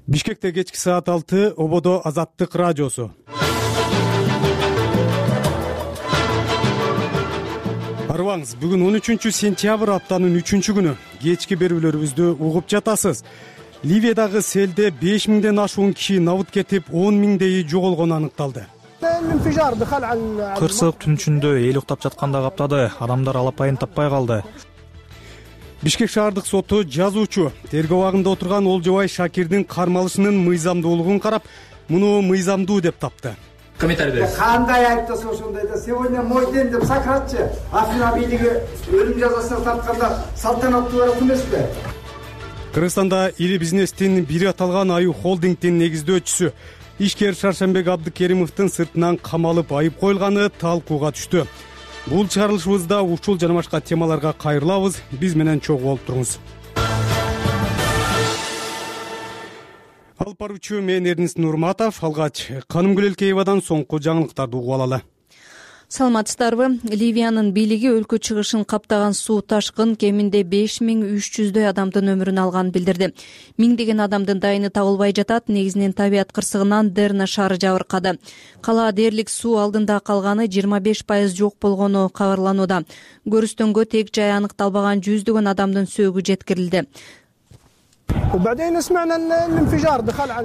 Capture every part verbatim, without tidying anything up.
Бишкекте кечки саат алты, Ободо Азаттык радиосу. Арыбаңыз, бүгүн он үчүнчү сентябрь, аптанын үчүнчү күнү. Кечки берүүлөрүбүздү угуп жатасыз. Ливиядагы селде беш миңден ашуун киши набыт кетип, он миңдейи жоголгону аныкталды. Кырсык түн ичинде эл уктап жатканда каптады. Адамдар алапайын таппай калды. Бишкек шаардык соту жазуучу тергөө абагында отурган Олжобай Шакирдин кармалышынын мыйзамдуулугун карап, муну мыйзамдуу деп тапты. Комментарий бериңиз. Кандай айыптаса ошондойда сегодня мой день деп сакыратчы. Афина бийлиги өлүм жазасына тартканда салтанаттуу барат эмеспи? Кыргызстанда ири бизнестин бири аталган Аю холдингдин негиздөөчүсү ишкер Шаршембек Абдыкеримовдун сыртынан камалып айып коюлганы талкууга түштү. Бул чыгарылышыбызда ушул жана башка темаларга кайрылабыз. Биз менен чогуу болуп туруңуз. Алып баруучу мен Эрнис Нурматов. Алгач Канымгүл Элкеевадан соңку жаңылыктарды угуп алалы. Саламатсыздарбы? Ливиянын бийлиги өлкө чыгышын каптаган суу ташкын кеминде беш миң үч жүздөй адамдын өмүрүн алганын билдирди. Миңдеген адамдын дайыны табылбай жатат. Негизинен табият кырсыгынан Дерна шаары жабыркады. Кала дээрлик суу алдында калганы жыйырма беш пайыз жок болгону кабарланууда. Көрүстөнгө тег жай аныкталбаган жүздөгөн адамдын сөөгү жеткирилди.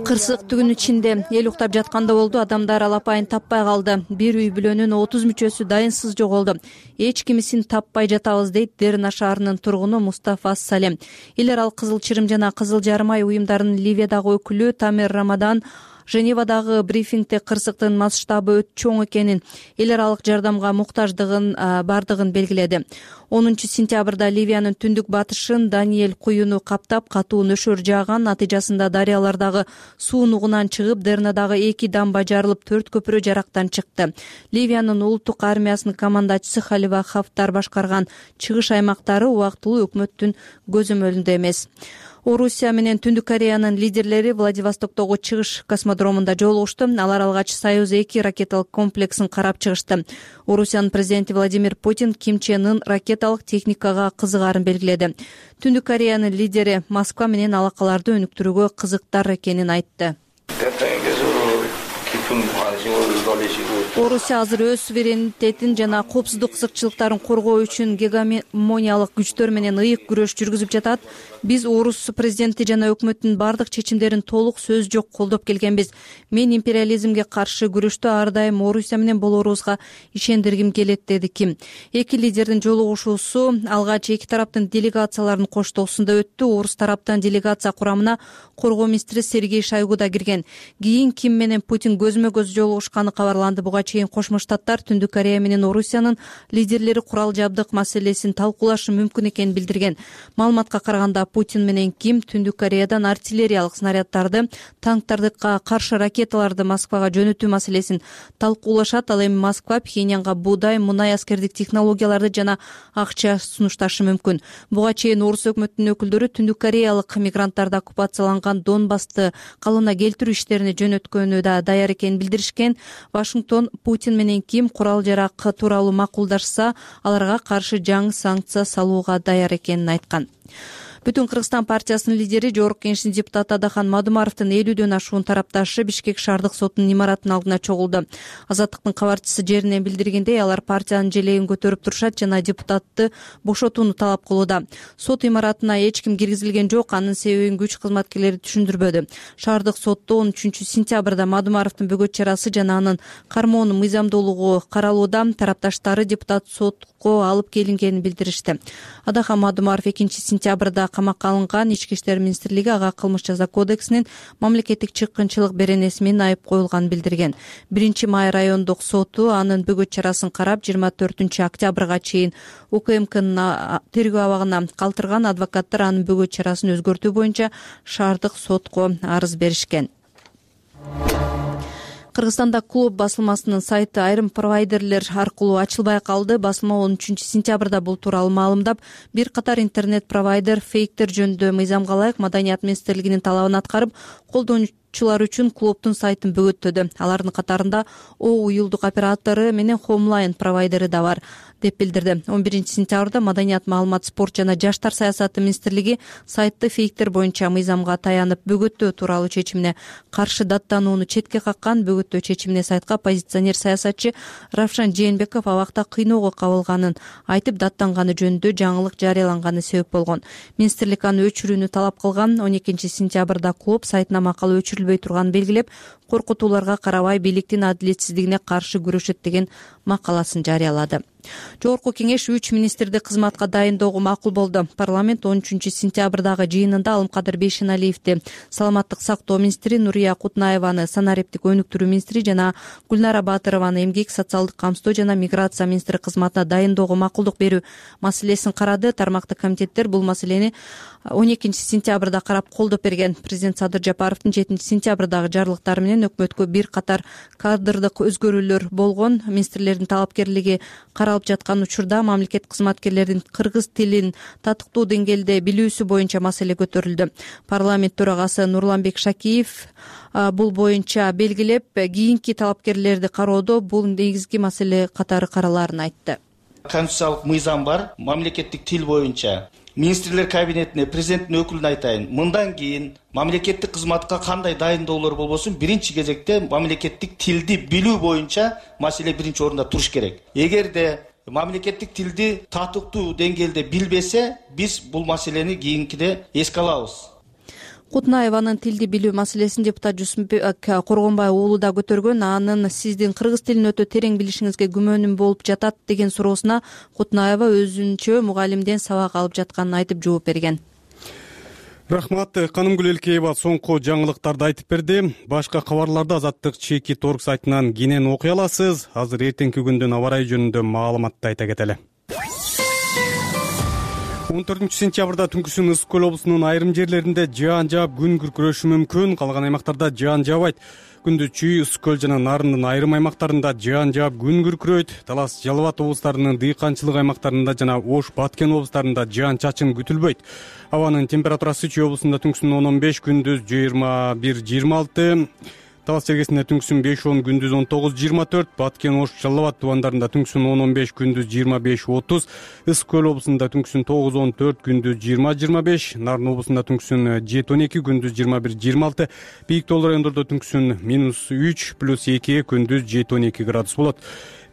Кырсык түгүн ичинде эл уктап жатканда болду. Адамдар алапайын таппай калды. Бир үй бүлөнүн отуз мүчөсү дайынсыз жоголду. Эч кимисин таппай жатабыз, дейт Дерна шаарынын тургуну Мустафа Салем. Эл аралык Кызыл Чырым жана Кызыл Жарым ай уюмдарынын Ливиядагы өкүлү Тамер Рамадан Женевадагы брифингде кырсыктын масштабы өтө чоң экенин, эл аралык жардамга муктаждыгын бардыгын белгиледи. онунчу сентябрда Ливиянын түндүк батышын Даниэль куюну каптап, катуу нөшөр жааган. Натыйжасында дарыялардагы суу нугунан чыгып, Дернадагы эки дамба жарылып, төрт көпүрө жарактан чыкты. Ливиянын улуттук армиясынын командачысы Халива Хафтар башкарган чыгыш аймактары убактылуу өкмөттүн көзөмөлүндө эмес. Орусия менен Түндүк Кореянын лидерлери Владивостоктогу чыгыш космодромунда жолугушту. Алар алгач Союз эки ракеталык комплексин карап чыгышты. Орусиянын президенти Владимир Путин Ким Чен Ын ракеталык техникага кызыгарын белгиледи. Түндүк Кореянын лидери Москва менен алакаларды өнүктүрүүгө кызыктар экенин айтты. Орусия азыр өз суверенитетин жана коопсуздук кызыкчылыктарын коргоо үчүн гегемониялык күчтөр менен ыйык күрөш жүргүзүп жатат. Биз орус президенти жана өкмөттүн бардык чечимдерин толук сөз жок колдоп келгенбиз. Мен империализмге каршы күрөштө ар дайым Орусия менен болорубузга ишендиргим келет, деди Ким. Эки лидердин жолугушуусу алгач эки тараптын делегацияларынын коштоосунда өттү. Орус тараптан делегация курамына коргоо министри Сергей Шойгу да кирген. Кийин Ким менен Путин көзмө көз жолугушканы кабарланды. Буга чейин Кошмо Штаттар Түндүк Корея менен Орусиянын лидерлери курал жабдык маселесин талкуулашы мүмкүн экенин билдирген. Маалыматка караганда Путин менен Ким Түндүк Кореядан артиллериялык снаряддарды, танктарды каршы ракеталарды Москвага жөнөтүү маселесин талкуулашат. Ал эми Москва Пхеньянга буудай, мунай, аскердик технологияларды жана акча сунушташы мүмкүн. Буга чейин орус өкмөтүнүн өкүлдөрү Түндүк Кореялык мигранттарды оккупацияланган Донбассты калыбына келтирүү иштерине жөнөткөнү да даяр экенин билдиришкен. Вашингтон Путин менен Ким курал жарак тууралуу макулдашса, аларга каршы жаңы санкция салууга даяр экенин айткан. Бүтүн Кыргызстан партиясынын лидери, Жогорку Кеңештин депутаты Адахан Мадумаровдун элүүдөн ашуун тарапташы Бишкек шаардык сотунун имаратынын алдына чогулду. Азаттыктын кабарчысы жеринен билдиргендей, алар партиянын желегин көтөрүп турушат жана депутатты бошотууну талап кылууда. Сот имаратына эч ким киргизилген жок, анын себебин күч кызматкерлери түшүндүрбөдү. Шаардык сотто он үчүнчү сентябрда Мадумаровдун бөгөт чарасы жана анын кармоонун мыйзамдуулугу каралууда. Тарапташтары депутат сотко алып келингенин билдиришти. Адахан Мадумаров экинчи сентябрда камакка алынган. Ички иштер министрлиги ага кылмыш жаза кодексинин мамлекеттик чыккынчылык беренеси менен айып коюлганын билдирген. биринчи май райондук соту анын бөгөт чарасын карап, жыйырма төртүнчү октябрга чейин УКМКнын тергөө абагына калтырган. Адвокаттар анын бөгөт чарасын өзгөртүү боюнча шаардык сотко арыз беришкен. Кыргызстанда клуб басылмасынын сайты айрым провайдерлер аркылуу ачылбай калды. Басылма он үчүнчү сентябрда бул тууралуу маалымдап, бир катар интернет провайдер фейктер жөнүндө мыйзамга ылайык Маданият министрлигинин талабын аткарып, колдонуучулар үчүн клубдун сайтын бөгөттөдү. Алардын катарында О уюлдук оператору менен Homeline провайдери да бар. деп билдирди. он биринчи сентябрда Маданият, маалымат, спорт жана жаштар саясаты министрлиги сайтты фейктер боюнча мыйзамга таянып бөгөттөө тууралуу чечимине каршы даттанууну четке каккан. Бөгөттөө чечимине сайтка оппозиционер саясатчы Равшан Жээнбеков абакта кыйноого кабылганын айтып, даттанганы жөнүндө жаңылык жарыяланганы себеп болгон. Министрлик аны өчүрүүнү талап кылган. он экинчи сентябрда клуб сайтына макала өчүрүлбөй турганын белгилеп, коркутууларга карабай бийликтин адилетсиздигине каршы күрөшөт деген макаласын жарыялады. Жогорку кеңеш үч министрди кызматка дайындоого макул болду. Парламент он үчүнчү сентябрдагы жыйынында Алымкадыр Бейшеналиевди саламаттык сактоо министри, Нурия Кутнаеваны санариптик өнүктүрүү министри жана Гүлнара Батырованы эмгек, социалдык камсыздоо жана миграция министри кызматына дайындоого макулдук берүү маселесин карады. Тармактык комитеттер бул маселени он экинчи сентябрда карап колдоп берген. Президент Садыр Жапаровдун жетинчи сентябрдагы жарлыктары менен өкмөткө бир катар кадрдык өзгөрүүлөр болгон. Министрлердин талапкерлиги каралып жаткан учурда мамлекет кызматкерлеринин кыргыз тилин татыктуу деңгээлде билүүсү боюнча маселе көтөрүлдү. Парламент төрагасы Нурланбек Шакиев бул боюнча белгилеп, кийинки талапкерлерди кароодо бул негизги маселе катары каралаарын айтты. Конституциялык мыйзам бар. Мамлекеттик тил боюнча министрлер кабинетине президенттин өкүлүнө айтайын, мындан кийин мамлекеттик кызматка кандай дайындоолор болбосун, биринчи кезекте мамлекеттик тилди билүү боюнча маселе биринчи орунда туруш керек. Эгерде мамлекеттик тилди татыктуу деңгээлде билбесе, биз бул маселени кийинкиде эске алабыз. Кутнаеванын тилди билүү маселесин депутат Жусупбек Коргонбай уулу да көтөргөн. Анын сиздин кыргыз тилин өтө терең билишиңизге күмөнүм болуп жатат деген суроосуна Кутнаева өзүнчө мугалимден сабак алып жатканын айтып жооп берген. Рахмат, Канымгүл Элкеева соңку жаңылыктарды айтып берди. Башка кабарларды Азаттык чеки торг сайтынан кенен окуй аласыз. Азыр эртеңки күндүн аба ырайы жөнүндө маалыматты айта кетели. он төртүнчү сентябрда түнкүсүн Ысык Көл облусунун айрым жерлеринде жаан жаап күн күркүрөшү мүмкүн. Калган аймактарда жаан жаабайт. Күндүз Чүй, Ысык Көл жана Нарындын айрым аймактарында жаан жаап күн күркүрөйт. Талас, Жалал Абад облустарынын дыйканчылык аймактарында жана Ош, Баткен облустарында жаан чачын күтүлбөйт. Абанын температурасы Чүй облусунда түнкүсүн он он беш, күндүз жыйырма бир жыйырма алты. Талас чергесинде түнкүсүн беш он, күндүз он тогуз жыйырма төрт, Баткен, Ош, Жалал Абад тубандарында түнкүсүн он он беш, күндүз жыйырма беш отуз, Ысык Көл облусунда түнкүсүн тогуз он төрт, күндүз жыйырма жыйырма беш, Нарын облусунда түнкүсүн жети он эки, күндүз жыйырма бир жыйырма алты, бийик тоолуу райондордо түнкүсүн минус үч, плюс эки, күндүз жети он эки градус болот.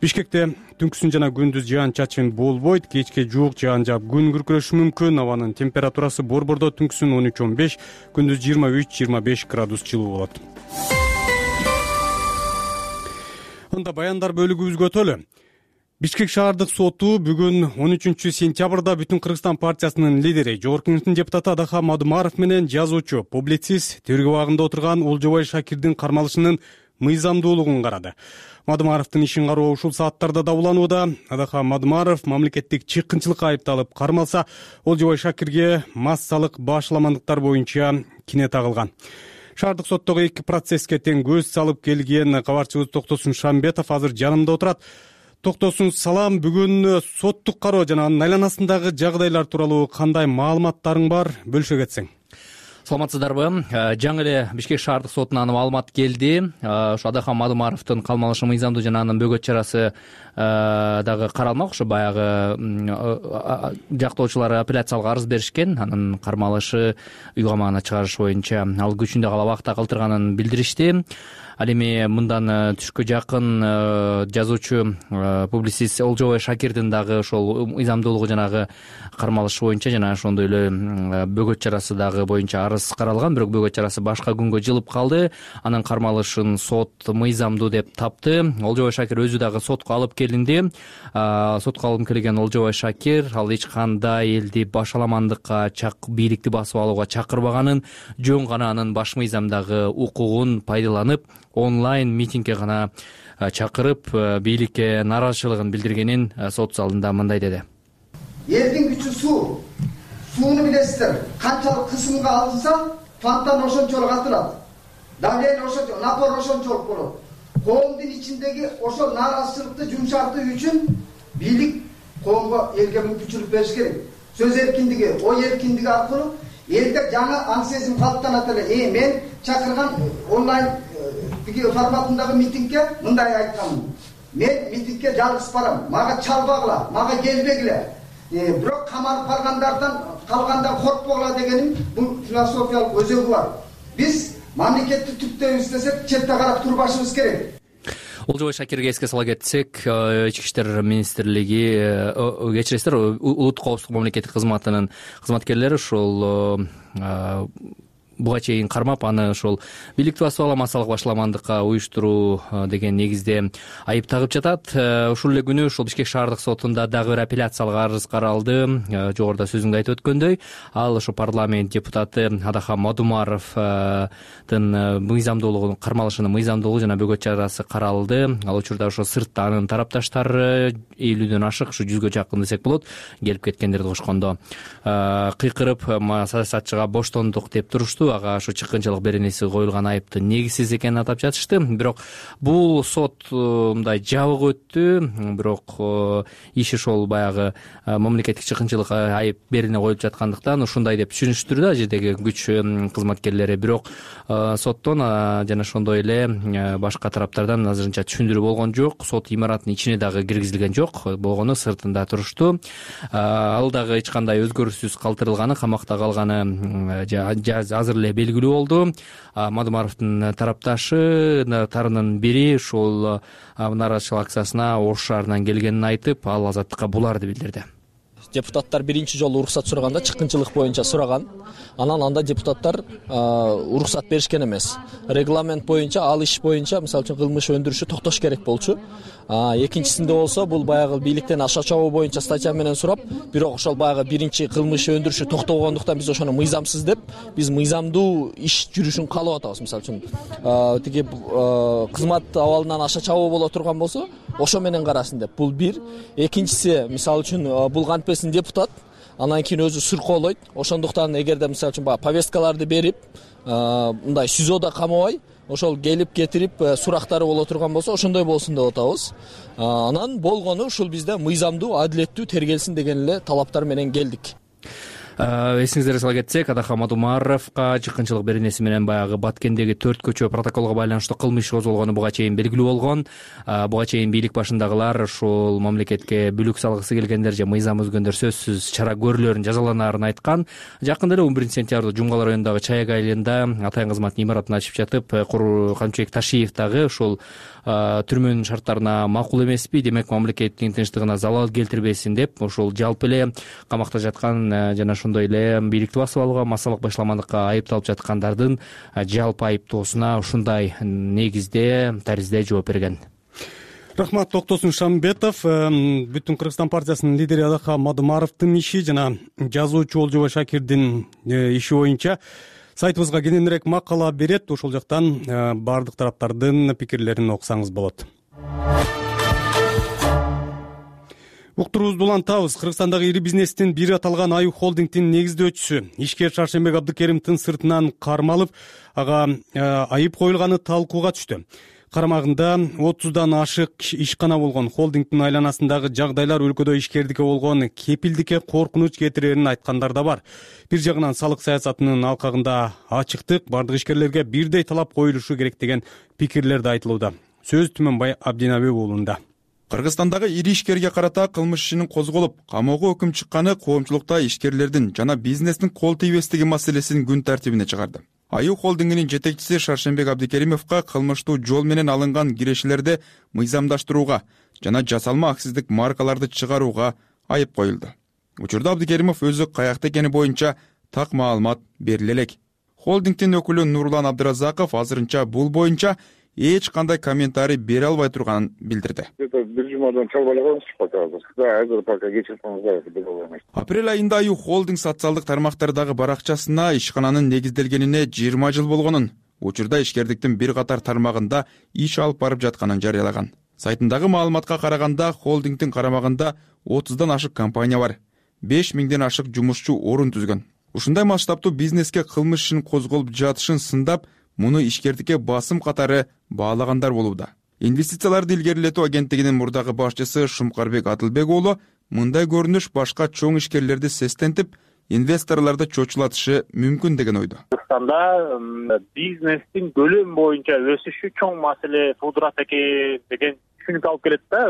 Бишкекте түнкүсүн жана күндүз жаан чачын болбойт, кечке жуук жаан жаап күн күркүрөшү мүмкүн. Абанын температурасы Борбордо түнкүсүн он үч он беш, күндүз жыйырма үч жыйырма беш градус жылуу болот. Анда баяндар бөлүгүбүзгө өтөлү. Бишкек шаардык соту бүгүн он үчүнчү сентябрда Бүтүн Кыргызстан партиясынын лидери, Жогорку Кеңештин депутаты Адахан Мадумаров менен жазуучу, публицист, тергөө абагында отурган Олжобай Шакирдин кармалышынын мыйзамдуулугун карады. Мадумаровдун ишин кароо ушул сааттарда да уланууда. Адахан Мадумаров мамлекеттик чыккынчылыкка айыпталып кармалса, Олжобай Шакирге массалык башаламандыктар боюнча кине тагылган. Шаардык соттогу эки процесске тең көз салып келген кабарчыбыз Токтосун Шамбетов азыр жанымда отурат. Токтосун, салам. Бүгүн соттук кароо жана анын айланасындагы жагдайлар тууралуу кандай маалыматтарың бар? Бөлүшө кетсең. Саламатсыздарбы? Жаңы эле Бишкек шаардык сотунан маалымат келди. Ушу Адахан Мадумаровдун калмалышы мыйзамдуу жана анын бөгөт чарасы дагы каралмак. Ушу баягы жактоочулар апелляциялык арыз беришкен. Анын кармалышы уйгамаына чыгарыш боюнча ал күчүндө кала убакта калтырганын билдиришти. Ал эми мындан түшкө жакын жазуучу, публицист Олжобай Шакирдин дагы ошол мыйзамдуулугу жанагы кармалышы боюнча жана ошондой эле бөгөт чарасы дагы боюнча арыз каралган. Бирок бөгөт чарасы башка күнгө жылып калды. Анын кармалышын сот мыйзамдуу деп тапты. Олжобай Шакир өзү дагы сотко алып келинди. Сотко алып келген Олжобай Шакир ал эч кандай элди башаламандыкка, бийликти басып алууга чакырбаганын, жөн гана анын баш мыйзамдагы укугун пайдаланып онлайн митингге гана чакырып, бийликке нааразычылыгын билдиргенин сот залында мындай деди. Элдин күчү суу. Сууну билесиздер. Канчалык кысымга алынса, фонтан ошончолук атылат. Давление ошончолук, напор ошончолук болот. Коомдун ичиндеги ошол нааразычылыкты жумшартуу үчүн бийлик коомго, элге мүмкүнчүлүк бериш керек. Сөз эркиндиги, ой эркиндиги аркылуу элде жаңы аң сезим калыптанат эле. Э, мен чакырган онлайн форматындагы митингге мындай айтканмын. мен митингге жалгыз барам, мага чалбагыла, мага келбегиле. Бирок камалып баргандардан калганда коркпогула дегеним бул философиялык өзөгү бар. Биз мамлекетти түптөйбүз десек, четте карап турбашыбыз керек. Олжобай Шакирге эске сала кетсек, ички иштер министрлиги, кечиресиздер, улуттук коопсуздук мамлекеттик кызматынын кызматкерлери ушул буга чейин кармап, аны ошол бийликти басып ала массалык башаламандыкка уюштуруу деген негизде айып тагып жатат. Ушул эле күнү ушул Бишкек шаардык сотунда дагы бир апелляциялык арыз каралды. Жогоруда сөзүңдө айтып өткөндөй, ал ошо парламент депутаты Адахан Мадумаровдун мыйзамдуулугун кармалышынын мыйзамдуулугу жана бөгөт чарасы каралды. Ал учурда ошо сыртта анын тарапташтары элүүдөн ашык, ушу жүзгө жакын десек болот, келип кеткендерди кошкондо кыйкырып, саясатчыга боштондук деп турушту. Ага ошо чыккынчылык беренеси коюлган айыптын негизсиз экенин атап жатышты. Бирок бул сот мындай жабык өттү. Бирок иш ошол баягы мамлекеттик чыккынчылык айып берене коюлуп жаткандыктан ушундай деп түшүнүштүр да жердеги күч кызматкерлери. Бирок соттон жана ошондой эле башка тараптардан азырынча түшүндүрүү болгон жок. Сот имараттын ичине дагы киргизилген жок, болгону сыртында турушту. Ал дагы эч кандай өзгөрүүсүз калтырылганы, камакта калганы азыр эле белгилүү болду. Мадумаровдун тарапташтарынын бири ушул нааразычылык акциясына Ош шаарынан келгенин айтып, ал азаттыкка буларды билдирди. Депутаттар биринчи жолу уруксат сураганда чыккынчылык боюнча сураган. Анан анда депутаттар уруксат беришкен эмес. Регламент боюнча, ал иш боюнча, мисалы үчүн кылмыш өндүрүшү токтош керек болчу. Экинчисинде болсо бул баягы бийликтен аша чабуу боюнча статья менен сурап, бирок ошол баягы биринчи кылмыш өндүрүшү токтогондуктан биз ошону мыйзамсыз деп, биз мыйзамдуу иш жүрүшүн каалап атабыз. Мисалы үчүн тиги кызмат абалынан аша чабуу боло турган болсо, ошо менен карасын деп. Бул бир. Экинчиси, мисалы үчүн бул кантпесин депутат, анан кийин өзү сыркоолойт. Ошондуктан эгерде мисалы үчүн баягы повесткаларды берип, мындай СИЗОдо камабай, ошол келип кетирип сурактары боло турган болсо, ошондой болсун деп атабыз. Анан болгону ушул бизде мыйзамдуу, адилеттүү тергелсин деген эле талаптар менен келдик. Эсиңиздерге сала кетсек, Адахан Мадумаровго чыккынчылык беренеси менен баягы Баткендеги төрт көчө протоколго байланыштуу кылмыш козголгону буга чейин белгилүү болгон. Буга чейин бийлик башындагылар ушул мамлекетке бүлүк салгысы келгендер же мыйзам өзгөндөр сөзсүз чара көрүүлөрүн жазаланаарын айткан. Жакында эле он биринчи сентябрда Жумгалар районундагы Чаяк айылында атайын кызматтын имаратын ачып жатып, Камчыбек Ташиев дагы ушул түрмөнүн шарттарына макул эмеспи, демек мамлекеттин тынчтыгына залал келтирбесин деп, ушул жалпы эле камакта жаткан жана ошондой эле бийликти басып алууга, массалык башаламандыкка айыпталып жаткандардын жалпы айыптоосуна ушундай негизде таризде жооп берген. Рахмат, Токтосун Шамбетов. Бүтүн Кыргызстан партиясынын лидери Адахан Мадумаровдун иши жана жазуучу Олжобай Шакирдин иши боюнча сайтыбызга кененирээк макала берет. Ошол жактан бардык тараптардын пикирлерин окусаңыз болот. Уктуруубузду улантабыз. Кыргызстандагы ири бизнестин бири аталган Аюу холдингдин негиздөөчүсү ишкер Шаршембек Абдыкеримовдун сыртынан кармалып, ага айып коюлганы талкууга түштү. Карамагында отуздан ашык ишкана болгон холдингдин айланасындагы жагдайлар өлкөдө ишкердикке болгон кепилдикке коркунуч кетирерин айткандар да бар. Бир жагынан салык саясатынын алкагында ачыктык, бардык ишкерлерге бирдей талап коюлушу керек деген пикирлер да айтылууда. Сөз Түмөнбай Абдинабек уулунда. Кыргызстандагы ири ишкерге карата кылмыш ишинин козголуп, камоого өкүм чыкканы коомчулукта ишкерлердин жана бизнестин кол тийбестиги маселесин күн тартибине чыгарды. Аюу холдингинин жетекчиси Шаршембек Абдыкеримовго кылмыштуу жол менен алынган кирешелерди мыйзамдаштырууга жана жасалма акциздик маркаларды чыгарууга айып коюлду. Учурда Абдыкеримов өзү каякта экени боюнча так маалымат бериле элек. Холдингдин өкүлү Нурлан Абдыразаков азырынча бул боюнча эч кандай комментарий бере албай турганын билдирди. Бир жумадан чалбай эле пока азыр. Да, азыр пока кечирсеңиздер деп ойлойм. Апрель айында Аюу холдинг социалдык тармактардагы баракчасына ишкананын негизделгенине жыйырма жыл болгонун, учурда ишкердиктин бир катар тармагында иш алып барып жатканын жарыялаган. Сайтындагы маалыматка караганда, холдингдин карамагында отуздан ашык компания бар. беш миңден ашык жумушчу орун түзгөн. Ушундай масштабтуу бизнеске кылмыш ишин козголуп жатышын сындап, муну ишкердикке басым катары баалагандар болууда. Инвестицияларды илгерилетүү агенттигинин мурдагы башчысы Шумкарбек Адылбек уулу мындай көрүнүш башка чоң ишкерлерди сестентип, инвесторлорду чочулатышы мүмкүн деген ойдо. Кыргызстанда бизнестин көлөм боюнча өсүшү чоң маселе туудурат экен деген түшүнүк алып келет да.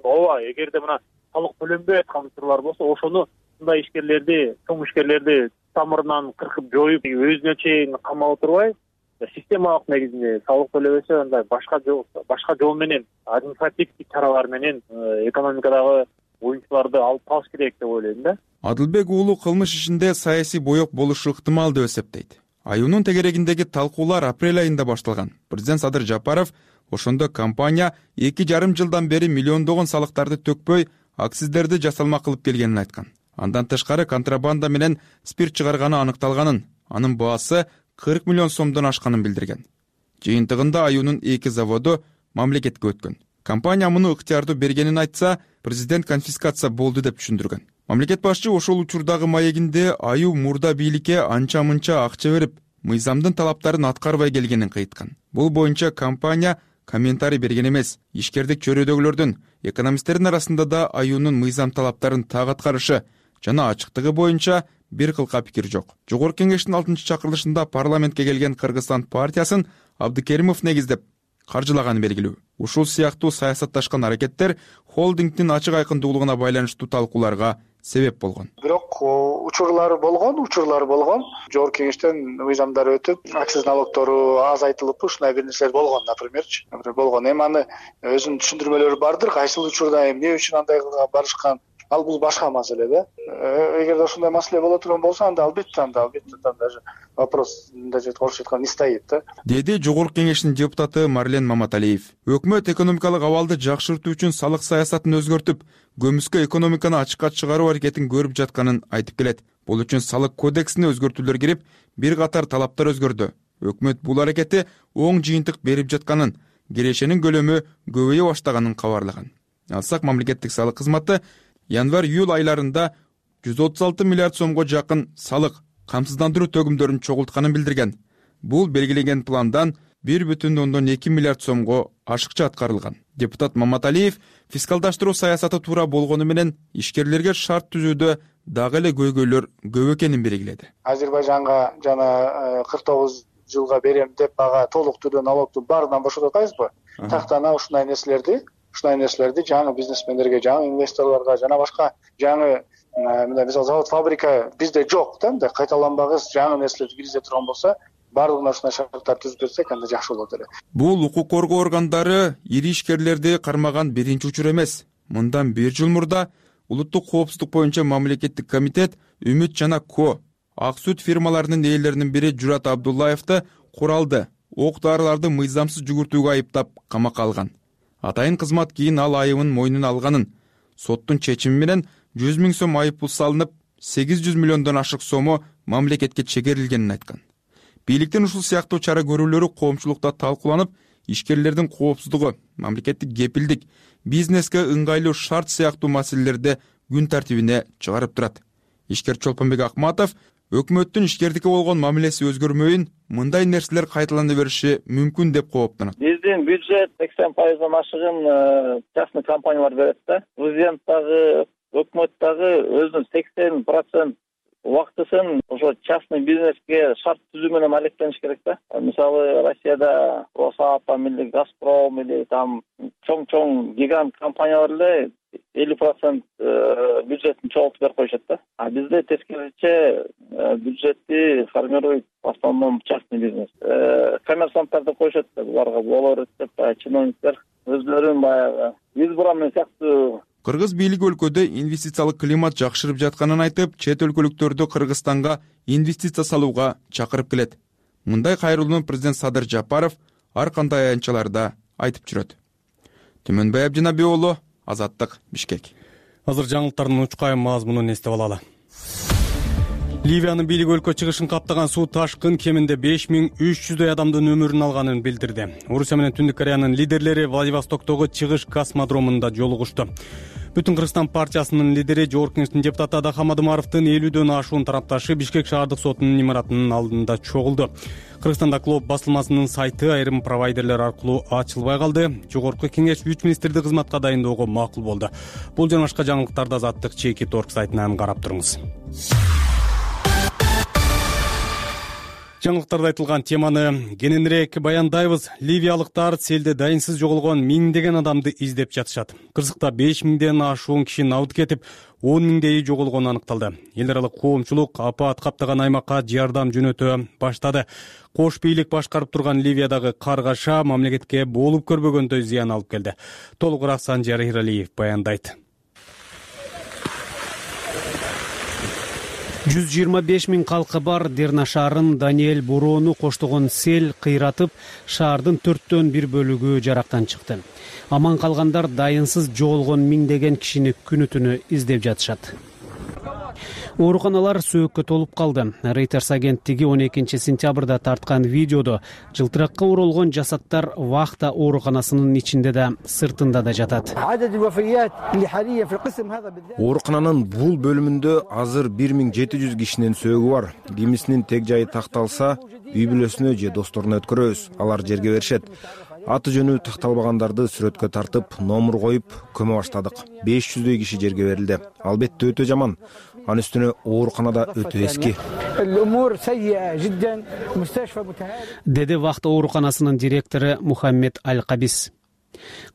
Ооба, эгерде мына салык төлөнбөй аткан учурлар болсо, ошону мындай ишкерлерди, чоң ишкерлерди тамырынан кыркып жоюп, өзүнө чейин камап отурбай, системалык негизинде салык төлөбөсө, андай башка жол башка жол менен, административдик чаралар менен экономикадагы оюнчуларды алып калыш керек деп ойлойм да. Адылбек уулу кылмыш ишинде саясий боек болушу ыктымал деп эсептейт. Аюунун тегерегиндеги талкуулар апрель айында башталган. Президент Садыр Жапаров ошондо компания эки жарым жылдан бери миллиондогон салыктарды төкпөй, акциздерди жасалма кылып келгенин айткан. Андан тышкары контрабанда менен спирт чыгарганы аныкталганын, анын баасы кырк миллион сомдон ашканын билдирген. Жыйынтыгында аюунун эки заводу мамлекетке өткөн. Компания муну ыктыярдуу бергенин айтса, президент конфискация болду деп түшүндүргөн. Мамлекет башчы ошол учурдагы маегинде аю мурда бийликке анча-мынча акча берип, мыйзамдын талаптарын аткарбай келгенин кайыткан. Бул боюнча компания комментарий берген эмес. Ишкердик чөйрөдөгүлөрдүн, экономисттердин арасында да аюунун мыйзам талаптарын так аткарышы жана ачыктыгы боюнча бир кылка пикир жок. Жогорку кеңештин алтынчы чакырылышында парламентке келген Кыргызстан партиясын Абдыкеримов негиздеп каржылаганы белгилүү. Ушул сыяктуу саясатташкан аракеттер холдингдин ачык айкындуулугуна байланыштуу талкууларга себеп болгон. Бирок учурлар болгон, учурлар болгон. Жогорку кеңештен мыйзамдар өтүп, акциз налогтору азайтылып, ушундай бир нерселер болгон, напримерчи. болгон. Эми аны өзүнүн түшүндүрмөлөрү бардыр. Кайсыл учурда эмне үчүн андай барышкан? Ал бул башка маселе да. Эгерде ошондой маселе боло турган болсо, анда албетте, анда албетте даже вопрос мындай орусча айтканда не стоит да. Деди Жогорку кеңештин депутаты Марлен Маматалиев. Өкмөт экономикалык абалды жакшыртуу үчүн салык саясатын өзгөртүп, көмүскө экономиканы ачыкка чыгаруу аракетин көрүп жатканын айтып келет. Бул үчүн салык кодексине өзгөртүүлөр кирип, бир катар талаптар өзгөрдү. Өкмөт бул аракети оң жыйынтык берип жатканын, кирешенин көлөмү көбөйө баштаганын кабарлаган. Алсак, мамлекеттик салык кызматы январь-июль айларында жүз отуз алты миллиард сомго жакын салык камсыздандыруу төгүмдөрүн чогултканын билдирген. Бул белгиленген пландан бир бүтүн ондон эки миллиард сомго ашыкча аткарылган. Депутат Маматалиев фискалдаштыруу саясаты туура болгону менен ишкерлерге шарт түзүүдө дагы эле көйгөйлөр көп экенин белгиледи. Азербайжанга жана кырк тогуз жылга берем деп ага толук түрдө налогду баарынан бошотуп атпайбызбы? Тактана ушундай нерселерди ушундай нерселерди жаңы бизнесмендерге, жаңы инвесторлорго жана башка жаңы мындай мисалы завод, фабрика бизде жок да, мындай кайталанбагыс жаңы нерселерди киргизе турган болсо, баардыгына ушундай шарттар түзүп берсек, анда жакшы болот эле. Бул укук коргоо органдары ири ишкерлерди кармаган биринчи учур эмес. Мындан бир жыл мурда улуттук коопсуздук боюнча мамлекеттик комитет Үмүт жана Ко ак сүт фирмаларынын ээлеринин бири Журат Абдуллаевди куралды, ок дарыларды мыйзамсыз жүгүртүүгө айыптап камакка алган. Атайын кызмат кийин ал айыбын мойнуна алганын, соттун чечими менен жүз миң сом айып пул салынып, сегиз жүз миллиондон ашык сому мамлекетке чегерилгенин айткан. Бийликтин ушул сыяктуу чара көрүүлөрү коомчулукта талкууланып, ишкерлердин коопсуздугу, мамлекеттик кепилдик, бизнеске ыңгайлуу шарт сыяктуу маселелерди күн тартибине чыгарып турат. Ишкер Чолпонбек Акматов өкмөттүн ишкердикке болгон мамилеси өзгөрмөйүн, мындай нерселер кайталана бериши мүмкүн деп кооптонот. Биздин бюджет сексен пайыздан ашыгын частный компаниялар берет да. Президент дагы, өкмөт дагы өзүнүн сексен процент убактысын ошо частный бизнеске шарт түзүү менен алектениш керек да. Мисалы, Россияда Росатом или Газпром или там чоң-чоң гигант компаниялар эле элүү процент бюджеттин чогултуп берип коюшат да. А бизде тескерисинче бюджетти формирует в основном частный бизнес. Коммерсанттар деп коюшат, буларга болор деп, чиновниктер өзлөрүн баягы избран сыяктуу. Кыргыз бийлиги өлкөдө инвестициялык климат жакшырып жатканын айтып, чет өлкөлүктөрдү Кыргызстанга инвестиция салууга чакырып келет. Мындай кайрылууну президент Садыр Жапаров ар кандай аянтчаларда айтып жүрөт. Түмөнбай Абдинабий уулу, Азаттык, Бишкек. Азыр жаңылыктардын учкайым мазмунун эстеп алалы. Ливиянын бийлиги өлкө чыгышын каптаган суу ташкын кеминде беш миң үч жүздөй адамдын өмүрүн алганын билдирди. Орусия менен Түндүк Кореянын лидерлери Владивостоктогу чыгыш космодромунда жолугушту. Бүтүн Кыргызстан партиясынын лидери, Жогорку кеңештин депутаты Адахам Адымаровдун элүүдөн ашуун тарапташы Бишкек шаардык сотунун имаратынын алдында чогулду. Кыргызстанда Клоп басылмасынын сайты айрым провайдерлер аркылуу ачылбай калды. Жогорку кеңеш үч министрди кызматка дайындоого макул болду. Бул жана башка жаңылыктарды Азаттык чеки торг сайтынан карап туруңуз. Жаңылыктарда айтылган теманы кененирээк баяндайбыз. Ливиялыктар селде дайынсыз жоголгон миңдеген адамды издеп жатышат. Кырсыкта беш миңден ашуун киши набыт кетип, он миңдейи жоголгону аныкталды. Эл аралык коомчулук апаат каптаган аймакка жардам жөнөтө баштады. Кош бийлик башкарып турган Ливиядагы каргаша мамлекетке болуп көрбөгөндөй зыян алып келди. Толугураак Санжар Иралиев баяндайт. жүз жыйырма беш миң калкы бар Дерна шаарын Даниэль бороону коштогон сел кыйратып, шаардын төрттөн бир бөлүгү жарактан чыкты. Аман калгандар дайынсыз жоголгон миңдеген кишини күнү түнү издеп жатышат. Ооруканалар сөөккө толуп калды. Reuters агенттиги он экинчи сентябрда тарткан видеодо жылтыракка оролгон жасаттар вахта ооруканасынын ичинде да, сыртында да жатат. Оорукананын бул бөлүмүндө азыр бир миң жети жүз кишинин сөөгү бар. Кимисинин тег жайы такталса, үй бүлөсүнө же досторуна өткөрөбүз. Алар жерге беришет. Аты жөнү такталбагандарды сүрөткө тартып, номур коюп, көмө баштадык. беш жүздөй киши жерге берилди. Албетте өтө жаман. Анын үстүнө ооруканада өтө эски. Деди вахта ооруканасынын директору Мухаммед Аль-Кабис.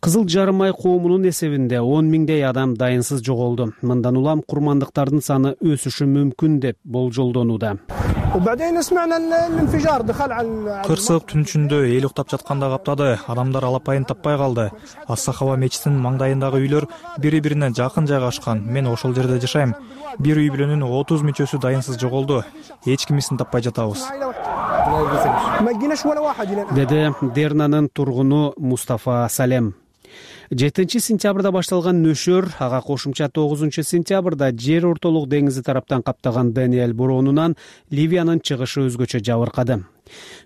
Кызыл жарым ай коомунун эсебинде он миңдей адам дайынсыз жоголду. Мындан улам курмандыктардын саны өсүшү мүмкүн деп болжолдонууда. Кырсык түн ичинде эл уктап жатканда каптады. Адамдар алапайын таппай калды. Ас-Сахава мечитинин маңдайындагы үйлөр бири-бирине жакын жайгашкан. Мен ошол жерде жашайм. Бир үй бүлөнүн отуз мүчөсү дайынсыз жоголду. Эч кимисин таппай жатабыз. Деди Дернанын тургуну Мустафа Салем. жетинчи сентябрда башталган нөшөр ага кошумча тогузунчу сентябрда жер ортолук деңизи тараптан каптаган Даниэль бороонунан Ливиянын чыгышы өзгөчө жабыркады.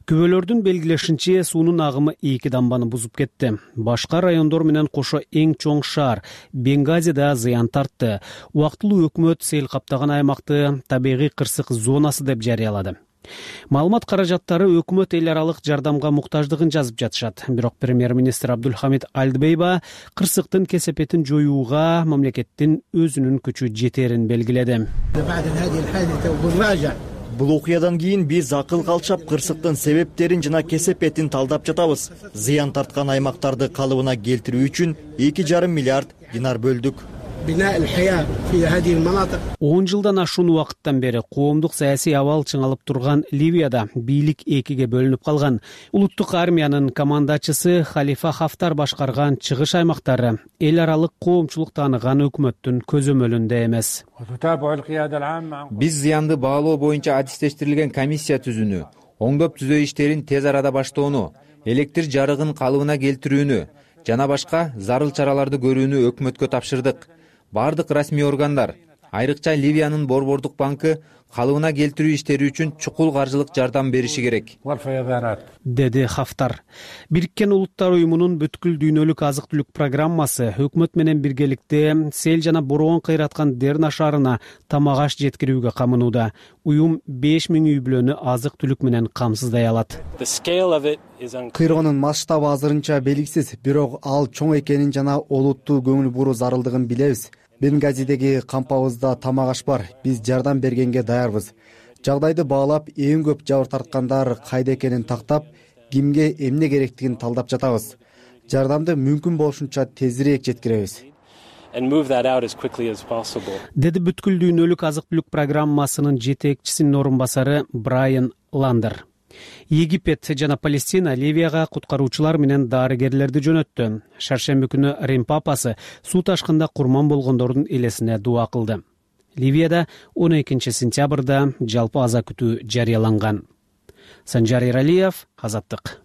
Күбөлөрдүн белгилешинче суунун агымы эки дамбаны бузуп кетти. Башка райондор менен кошо эң чоң шаар Бенгази да зыян тартты. Убактылуу өкмөт сел каптаган аймакты табигый кырсык зонасы деп жарыялады. Маалымат каражаттары өкмөт эл аралык жардамга муктаждыгын жазып жатышат. Бирок премьер-министр Абдулхамид Альдбейба кырсыктын кесепетин жоюуга мамлекеттин өзүнүн күчү жетерин белгиледи. Бул окуядан кийин биз акыл калчап кырсыктын себептерин жана кесепетин талдап жатабыз. Зыян тарткан аймактарды калыбына келтирүү үчүн эки жарым миллиард динар бөлдүк. он жылдан ашуун убакыттан бери коомдук саясий абал чыңалып турган Ливияда бийлик экиге бөлүнүп калган. Улуттук армиянын командачысы Халифа Хафтар башкарган чыгыш аймактары эл аралык коомчулук тааныган өкмөттүн көзөмөлүндө эмес. Биз зыянды баалоо боюнча адистештирилген комиссия түзүүнү, оңдоп түзөө иштерин тез арада баштоону, электр жарыгын калыбына келтирүүнү жана башка зарыл чараларды көрүүнү өкмөткө тапшырдык. Бардык расмий органдар, айрыкча Ливиянын Борбордук банкы калыбына келтирүү иштери үчүн чукул каржылык жардам бериши керек, деди Хафтар. Бириккен Улуттар уюмунун бүткүл дүйнөлүк азык-түлүк программасы өкмөт менен биргеликте сел жана бороон кыйраткан Дерна шаарына тамак аш жеткирүүгө камынууда. Уюм беш миң үй бүлөнү азык-түлүк менен камсыздай алат. Кыйроонун масштабы азырынча белгисиз, бирок ал чоң экенин жана олуттуу көңүл буруу зарылдыгын билебиз. Бенгазидеги кампабызда тамак аш бар. Биз жардам бергенге даярбыз. Жагдайды баалап, эң көп жабыр тарткандар кайда экенин тактап, кимге эмне керектигин талдап жатабыз. Жардамды мүмкүн болушунча тезирээк жеткиребиз. Деди бүткүл дүйнөлүк азык-түлүк программасынын жетекчисинин орун басары Брайан Ландер. Египет жана Палестина Ливияга куткаруучулар менен дарыгерлерди жөнөттү. Шаршемби күнү Рим папасы суу ташкында курман болгондордун элесине дуа кылды. Ливияда он экинчи сентябрда жалпы аза күтүү жарыяланган. Санжар Иралиев, Азаттык.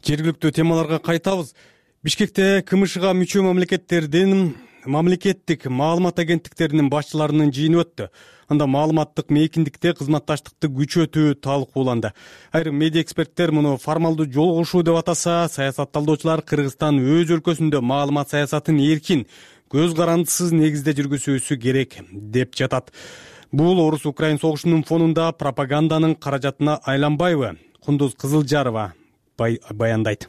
Жергиликтүү темаларга кайтабыз. Бишкекте КМШга мүчө мамлекеттердин мамлекеттик маалымат агенттиктеринин башчыларынын жыйыны өттү. Анда маалыматтык мейкиндикте кызматташтыкты күчөтүү талкууланды. Айрым медиа эксперттер муну формалдуу жолугушуу деп атаса, саясатталдоочулар Кыргызстан өз өлкөсүндө маалымат саясатын эркин, көз карандысыз негизде жүргүзүүсү керек деп жатат. Бул орус-украин согушунун фонунда пропаганданын каражатына айланбайбы? Кундуз Кызылжарова баяндайт.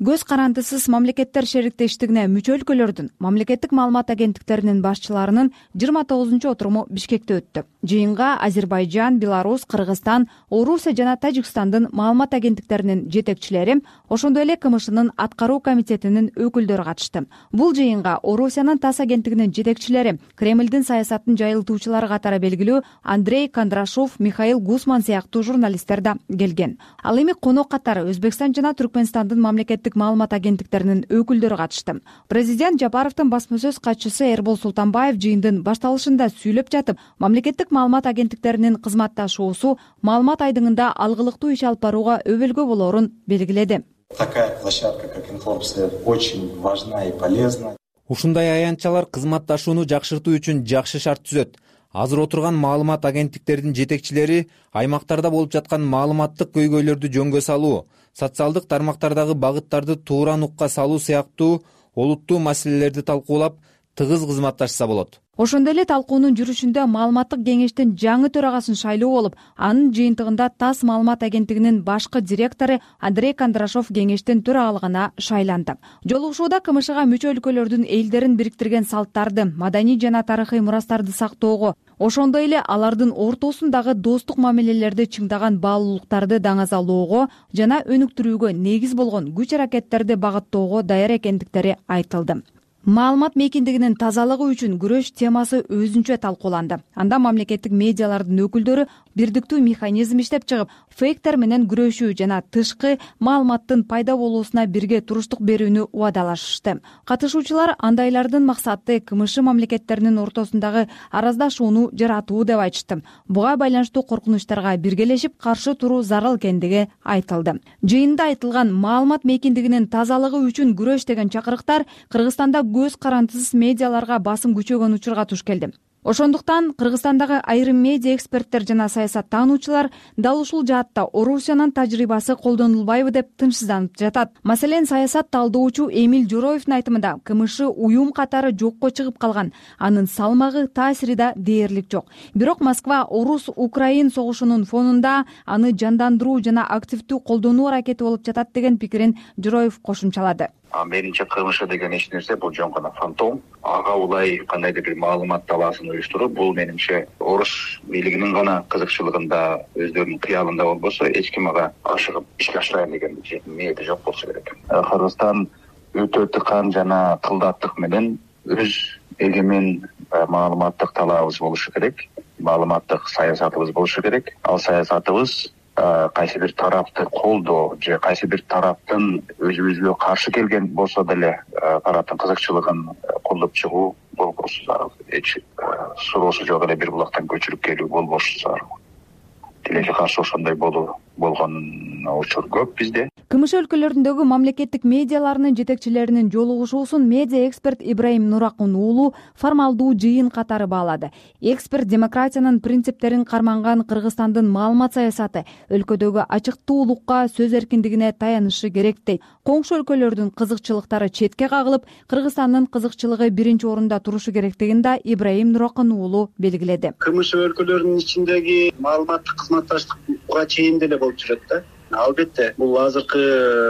көз карандысыз мамлекеттер шериктештигине мүчө өлкөлөрдүн мамлекеттик маалымат агенттиктеринин башчыларынын жыйырма тогузунчу отуруму Бишкекте өттү. Жыйынга Азербайжан, Беларусь, Кыргызстан, Орусия жана Тажикстандын маалымат агенттиктеринин жетекчилери, ошондой эле КМШнын аткаруу комитетинин өкүлдөрү катышты. Бул жыйынга Орусиянын ТАСС агенттигинин жетекчилери, Кремлдин саясатын жайылтуучулары катары белгилүү Андрей Кондрашов, Михаил Гусман сыяктуу журналисттер да келген. Ал эми конок катары Өзбекстан жана Түркмөнстандын мамлекеттик маалымат агенттиктеринин өкүлдөрү катышты. Президент Жапаровдун басма сөз катчысы Эрбол Султанбаев жыйындын башталышында сүйлөп жатып, мамлекеттик маалымат агенттиктеринин кызматташуусу маалымат айдыңында алгылыктуу иш алып барууга өбөлгө болоорун белгиледи. Такая площадка, как Информсвет, очень важна и полезна. Ушундай аянтчалар кызматташууну жакшыртуу үчүн жакшы шарт түзөт. Азыр отурган маалымат агенттиктеринин жетекчилери аймактарда болуп жаткан маалыматтык көйгөйлөрдү жөнгө салуу, социалдык тармактардагы багыттарды туура нукка салуу сыяктуу олуттуу маселелерди талкуулап, тыгыз кызматташса болот. Ошондой эле талкуунун жүрүшүндө маалыматтык кеңештин жаңы төрагасын шайлоо болуп, анын жыйынтыгында ТАСС маалымат агенттигинин башкы директору Андрей Кондрашов кеңештин төрагалыгына шайланды. Жолугушууда КМШга мүчө өлкөлөрдүн элдерин бириктирген салттарды, маданий жана тарыхый мурастарды сактоого, ошондой эле алардын ортосундагы достук мамилелерди чыңдаган баалуулуктарды даңазалоого жана өнүктүрүүгө негиз болгон күч-аракеттерди багыттоого даяр экендиктери айтылды. Маалымат мейкиндигинин тазалыгы үчүн күрөш темасы өзүнчө талкууланды. Анда мамлекеттик медиалардын өкүлдөрү бирдиктүү механизм иштеп чыгып, фейктер менен күрөшүү жана тышкы маалыматтын пайда болуусуна бирге туруштук берүүнү убадалашышты. Катышуучулар андайлардын максаты КМШ мамлекеттеринин ортосундагы араздашууну жаратуу деп айтышты. Буга байланыштуу коркунучтарга биргелешип каршы туруу зарыл экендиги айтылды. Жыйында айтылган маалымат мейкиндигинин тазалыгы үчүн күрөш деген чакырыктар Кыргызстанда көз карандысыз медиаларга басым күчөгөн учурга туш келди. Ошондуктан Кыргызстандагы айрым медиа эксперттер жана саясаттануучулар дал ушул жаатта Орусиянын тажрыйбасы колдонулбайбы деп тынчсызданып жатат. Маселен, саясат талдоочу Эмиль Жороевдин айтымында КМШ уюм катары жокко чыгып калган, анын салмагы, таасири да дээрлик жок. Бирок Москва Орус-Украин согушунун фонунда аны жандандыруу жана активдүү колдонуу аракети болуп жатат деген пикирин Жороев кошумчалады. Менимче КМШ деген эч нерсе бул жөн гана фантом. Ага улай кандайдыр бир маалымат талаасын уюштуруп, бул менимче орус бийлигинин гана кызыкчылыгында, өздөрүнүн кыялында болбосо, эч ким ага ашыгып ишке ашырайын деген ниети жок болсо керек. Кыргызстан өтө тыкан жана кылдаттык менен өз эгемен маалыматтык талаабыбыз болушу керек, маалыматтык саясатыбыз болушу керек. Ал саясатыбыз кайсы бир тарапты колдоо же кайсы бир тараптын өзүбүзгө каршы келген болсо деле тараптын кызыкчылыгын колдоп чыгуу болбосу зарыл. Эч суроосу жок эле бир булактан көчүрүп келүү болбошу зарыл. Тилекке каршы ошондой болуу болгон учур көп бизде. КМШ өлкөлөрүндөгү мамлекеттик медиаларынын жетекчилеринин жолугушуусун медиа эксперт Ибраим Нуракун уулу формалдуу жыйын катары баалады. Эксперт демократиянын принциптерин карманган Кыргызстандын маалымат саясаты өлкөдөгү ачыктуулукка, сөз эркиндигине таянышы керек дейт. Коңшу өлкөлөрдүн кызыкчылыктары четке кагылып, Кыргызстандын кызыкчылыгы биринчи орунда турушу керектигин да Ибраим Нуракун уулу белгиледи. КМШ өлкөлөрүнүн ичиндеги маалыматтык кызматташтык буга чейин деле болуп жүрөт да. Албетте бул азыркы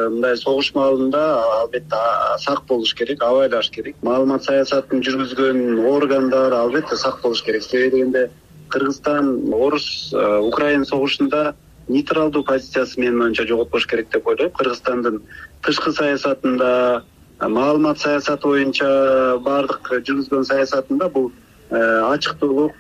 мындай согуш маалында албетте сак болуш керек, абайлаш керек. Маалымат саясатын жүргүзгөн органдар албетте сак болуш керек. Себеби дегенде Кыргызстан Орус Украин согушунда нейтралдуу позициясы менин оюмча жоготпош керек деп ойлойм. Кыргызстандын тышкы саясатында, маалымат саясаты боюнча бардык жүргүзгөн саясатында бул ачыктуулук,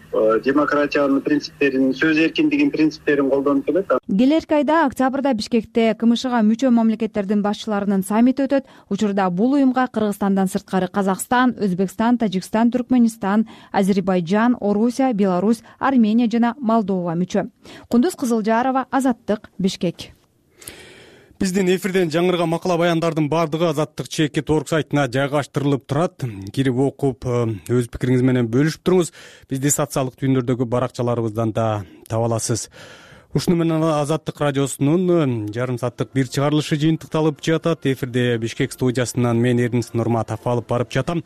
демократиянын принциптерин, сөз эркиндигинин принциптерин колдонуп келет. Келерки айда октябрда Бишкекте КМШга мүчө мамлекеттердин башчыларынын саммити өтөт. Учурда бул уюмга Кыргызстандан сырткары Казакстан, Өзбекстан, Тажикстан, Түркмөнстан, Азербайжан, Орусия, Беларусь, Армения жана Молдова мүчө. Кундуз Кызылжарова, Азаттык, Бишкек. Биздин эфирден жаңырган макала баяндардын бардыгы Азаттык чекит орг сайтына жайгаштырылып турат. Кирип окуп, өз пикириңиз менен бөлүшүп туруңуз. Бизди социалдык түйүндөрдөгү баракчаларыбыздан да таба аласыз. Ушуну менен Азаттык радиосунун жарым сааттык бир чыгарылышы жыйынтыкталып жатат. Эфирде Бишкек студиясынан мен Эрнис Нурматов алып барып жатам.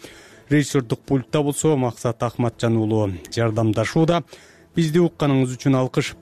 Режиссердук пультта болсо Максат Ахматжан уулу жардамдашууда. Бизди укканыңыз үчүн алкыш.